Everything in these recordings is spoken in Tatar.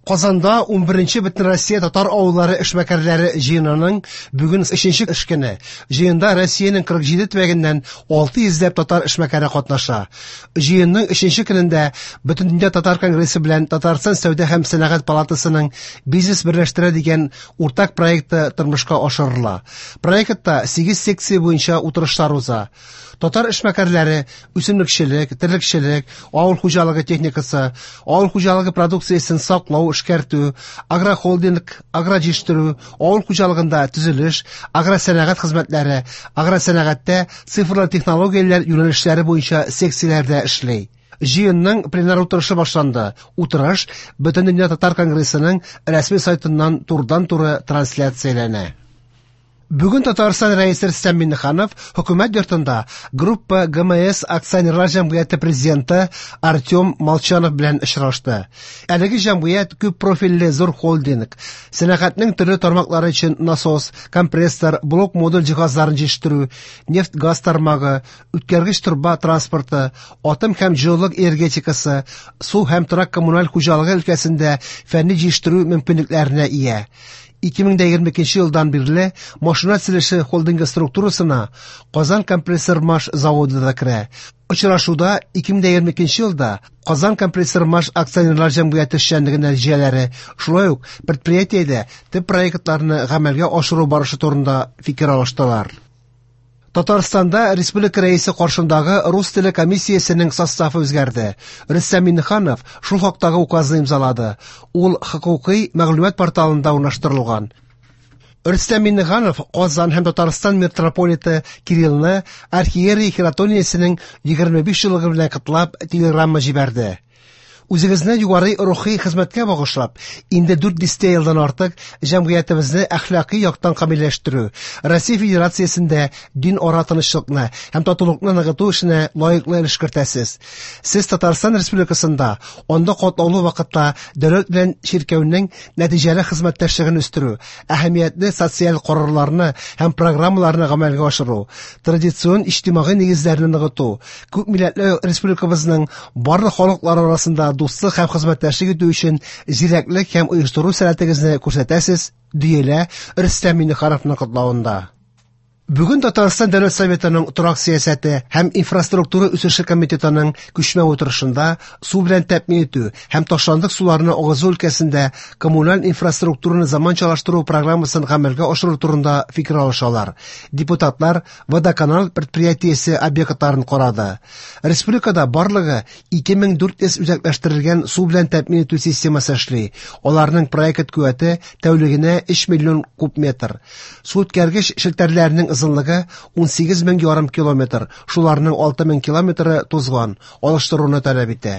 Казанда 11нче Бөтенроссия татар авыллары эшмәкәрләре җыенының бүген өченче эш көне. Җыенда Россиянең 47 төбәгеннән 600 ләп татар эшмәкәре катнаша. Җыенның өченче көнендә Бөтендөнья татар конгрессы белән Татарстан сәүдә һәм сәнәгать палатасының «Бизнес берләштерә» дигән уртак проекты тормышка ашырыла. Проектта 8 секция буенча утырышлар уза. Татар эшмәкәрләре үсемлекчелек, терлекчелек, авыл хуҗалыгы техникасы, авыл хуҗалыгы продукциясен саклау, эшкәртү, агрохолдинг, агроҗитештерү, авыл хуҗалыгында төзелеш, агросәнәгать хезмәтләре, агросәнәгатьтә цифрлы технологияләр юнәлешләре буенча секцияләрдә эшли. Җыенның пленар утырышы башланды. Утырыш Бөтендөнья татар конгрессының рәсми сайтыннан турыдан-туры трансляцияләнә. Бүген Татарстан Рәисе Рөстәм Миңнеханов Хөкүмәт йортында Группа ГМС акционерлар җәмгыяте президенты Артем Молчанов белән очрашты. Әлеге җәмгыять күп профильле зур холдинг. Сәнәгатьнең төрле тармаклары өчен насос, компрессор, блок-модуль җиһазларын җитештерү, нефть-газ тармагы, үткәргеч торба транспорты, атом һәм җылылык энергетикасы, су һәм торак коммуналь хуҗалыгы өлкәсендә фәнни җитештерү мөмкинлекләренә ия. 2022 елдан бирле машина төзелеше холдингы структурасына Казан компрессор-маш заводы да керә. Очрашуда 2022 елда Казан компрессор-маш акционерлар җәмгыяте эшчәнлеге нәтиҗәләре, шулай ук предприятиедә төп проектларны гамәлгә ашыру барышы турында фикер алыштылар. Татарстанда республика рәисе каршындагы рус теле комиссиясенең составы үзгәрде. Рөстәм Миңнеханов шул хактагы указны имзалады. Ул хокукый мәгълүмат порталында урнаштырылган. Рөстәм Миңнеханов Казан һәм Татарстан митрополиты Кириллны архиерей хиротониясенең 25 еллыгы белән котлап телеграмма җибәрде. Үзегезне югары рухи хезмәткә багышлап, инде 4 дистә елдан артык җәмгыятебезне әхлакый яктан камилләштерү, Россия Федерациясендә дин ара тынычлыкны һәм татулыкны ныгыту эшенә лаеклы өлеш кертәсез. Сез Татарстан Республикасында анда катлаулы вакытта дәүләт белән чиркәүнең нәтиҗәле хезмәттәшлеген үстерү, әһәмиятле социаль карарларны һәм программаларны гамәлгә ашыру, традицион иҗтимагый нигезләрне ныгыту, күп милләтле республикабызның барлык халыклары арасында дуслык һәм хезмәттәшлек итү өчен зирәклек һәм оештыру сәләтегезне күрсәтәсез, диелә Рөстәм Миңнехановның котлавында. Бүген Татарстан Дәүләт Советының торак сәясәте һәм инфраструктура үсеше комитетының күчмә утырышында су белән тәэмин итү һәм ташландык суларны агызу өлкәсендә коммуналь инфраструктураны заманчалаштыру программасын гамәлгә ашыру турында фикер алышалар. Депутатлар Водоканал предприятиесе объектларын карады. Республикада барлыгы 2400 үзәкләштерелгән су белән тәэмин итү системасы эшли. Аларның проект куәте тәүлегенә 3 миллион куб метр. Су үткәргеч челтәрләренең озынлыгы 18 мең ярым километр, шуларның 6 мең километры тузган, алыштыруны таләп итә.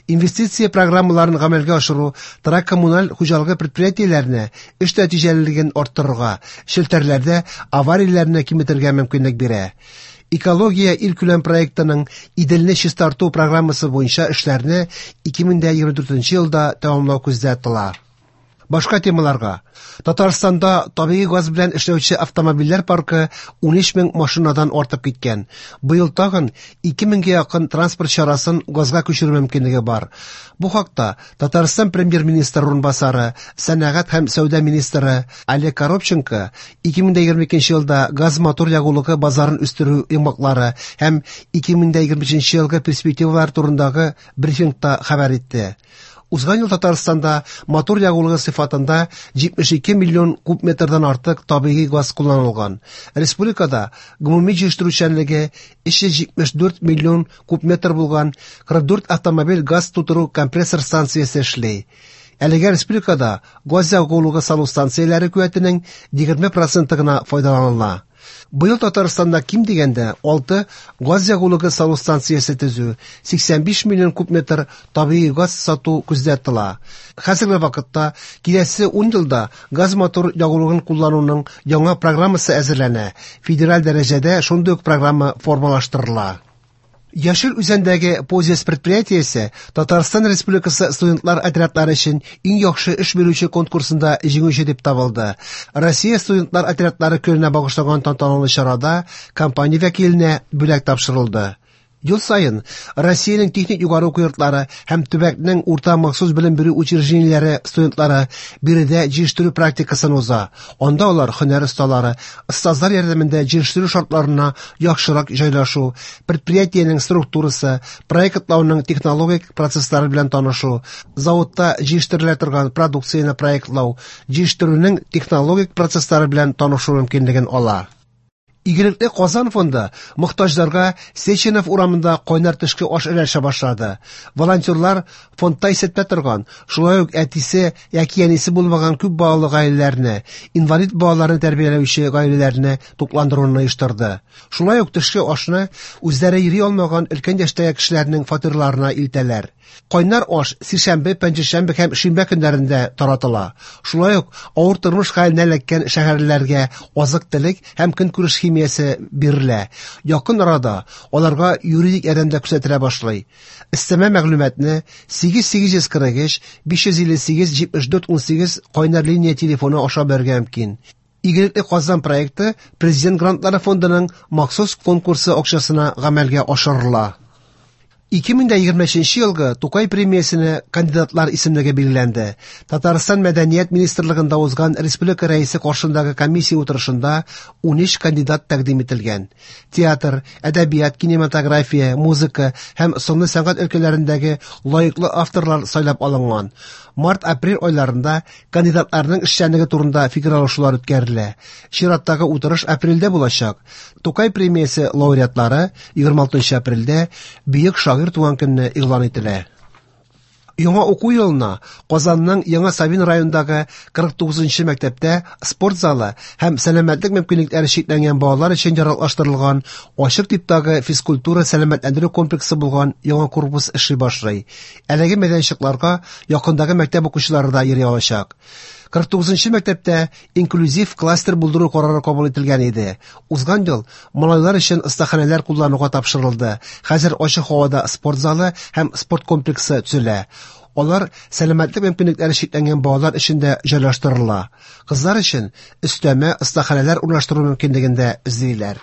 Инвестиция программаларын гамәлгә ашыру торак коммуналь хуҗалыгы предприятиеләренә эш нәтиҗәлелеген арттырырга, челтәрләрдә аварияләрне киметергә мөмкинлек бирә. Экология илкүләм проектының Иделне чистарту программасы буенча эшләрне 2024 елда тәмамлау күздә тотыла. Башка темаларга. Татарстанда табигый газ белән эшләүче автомобильләр паркы 13 мең машинадан артып киткән. Быел тагын 2 меңгә якын транспорт чарасын газга күчерү мөмкинлеге бар. Бу хакта Татарстан премьер-министры урынбасары, сәнәгать һәм сәүдә министры Олег Коробченко 2022 елда газ-мотор ягулыгы базарын үстерү йомгаклары һәм 2025 елгы перспективалар турындагы брифингта хәбәр итте. Узган ел Татарстанда мотор ягулыгы сыйфатында 72 миллион куб метрдан артык табигый газ кулланылган. Республикада гомуми җитештерүчәнлеге 374 миллион куб метр булган 44 автомобиль газ тутыру компрессор станциясе эшли. Әлегә республикада газ ягулыгы салу станцияләре куәтенең 20% гына файдаланыла. Быел Татарстанда ким дигәндә 6 газ ягулыгы салу станциясе төзү, 85 миллион куб метр табигый газ сату күздә тотыла. Хәзерге вакытта киләсе 10 елда газ мотор ягулыгын куллануның яңа программасы әзерләнә. Федераль дәрәҗәдә шундый ук программа формалаштырыла. Яшел Үзәндәге Позис предприятиесе Татарстан Республикасы студентлар отрядлары өчен иң яхшы эш бирүче конкурсында җиңүче дип табылды. Россия студентлар отрядлары көненә багышланган тантаналы чарада компания вәкиленә бүләк тапшырылды. Ел саен Россиянең техник югары уку йортлары һәм төбәкнең урта махсус белем бирү учреждениеләре студентлары биредә җитештерү практикасын уза. Анда алар һөнәр осталары, остазлар ярдәмендә җитештерү шартларына яхшырак җайлашу, предприятиенең структурасы, проектлауның технологик процесслары белән танышу, заводта җитештерелә торган продукцияне проектлау, җитештерүнең технологик процесслары белән танышу мөмкинлеген ала. Игелекле Казан фонды мохтаҗларга Сеченов урамында кайнар төшке аш өләшә башлады. Волонтерлар фондта исәптә торган, шулай ук әтисе яки әнисе булмаган күп балалы гаиләләрне, инвалид балаларны тәрбияләүче гаиләләрне тукландыруны оештырды. Шулай ук төшке ашны үзләре йөри алмаган өлкән яшьтәге кешеләрнең фатирларына илтәләр. Кайнар аш сишәмбе, пәнҗешәмбе һәм шимбә көннәрендә таратыла. Шулай ук авыр тормыш хәленә эләккән шәһәрлеләргә азык-төлек һәм көнкүреш химиясе бирелә. Якын арада аларга юридик ярдәм дә күрсәтелә башлый. Өстәмә мәгълүматны 8843 558 74 18 кайнар линия телефоны аша белергә мөмкин. Игелекле Казан проекты Президент грантлары фондының махсус конкурсы акчасына гамәлгә ашырыла. 2023 елгы Тукай премиясенә кандидатлар исемлеге билгеләнде. Татарстан Мәдәният министрлыгында узган республика рәисе каршындагы комиссия утырышында 13 кандидат тәкъдим ителгән. Театр, әдәбият, кинематография, музыка һәм сынлы сәнгать өлкәләрендәге лаеклы авторлар сайлап алынган. Март-апрель айларында кандидатларның эшчәнлеге турында фикер алышулар үткәрелә. Чираттагы утырыш апрельдә булачак. Тукай премиясе лауреатлары 26 апрельдә бөек шагыйрь туган көнне игълан ителә. Яңа уку елына Казанның Яңа Савин районындагы 49 мәктәптә спорт залы һәм сәламәтлек мөмкинлекләре чикләнгән балалар өчен яраклаштырылган ачык типтагы физкультура сәламәтләндерү комплексы булган яңа корпус эшли башлый. Әлеге мәйданчыкларга якындагы мәктәп укучылары да йөри алачак. 49 мәктәптә инклюзив кластер булдыру карары кабул ителгән иде. Узган ел малайлар өчен остаханәләр куллануга тапшырылды. Хәзер ачык һавада спорт залы һәм спорт комплексы төзелә. Алар сәламәтлек мөмкинлекләре чикләнгән балалар өчен дә җайлаштырыла. Кызлар өчен өстәмә остаханәләр урнаштыру мөмкинлеген дә эзлиләр.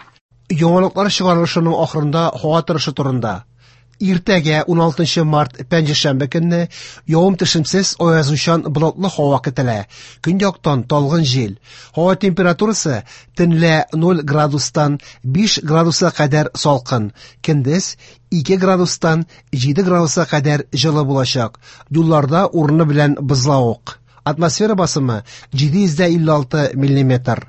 Яңалыклар чыгарылышының ахырында һава торышы турында. Иртәгә 16 март пәнҗешәмбе көнне явым-төшемсез аязучан болытлы һава көтелә. Көньяктан талгын җил. Һава температурасы төнлә 0 градустан 5 градуска кадәр салкын, көндез 2 градустан 7 градуска кадәр җылы булачак. Юлларда урыны белән бозлавык. Атмосфера басымы 756 миллиметр.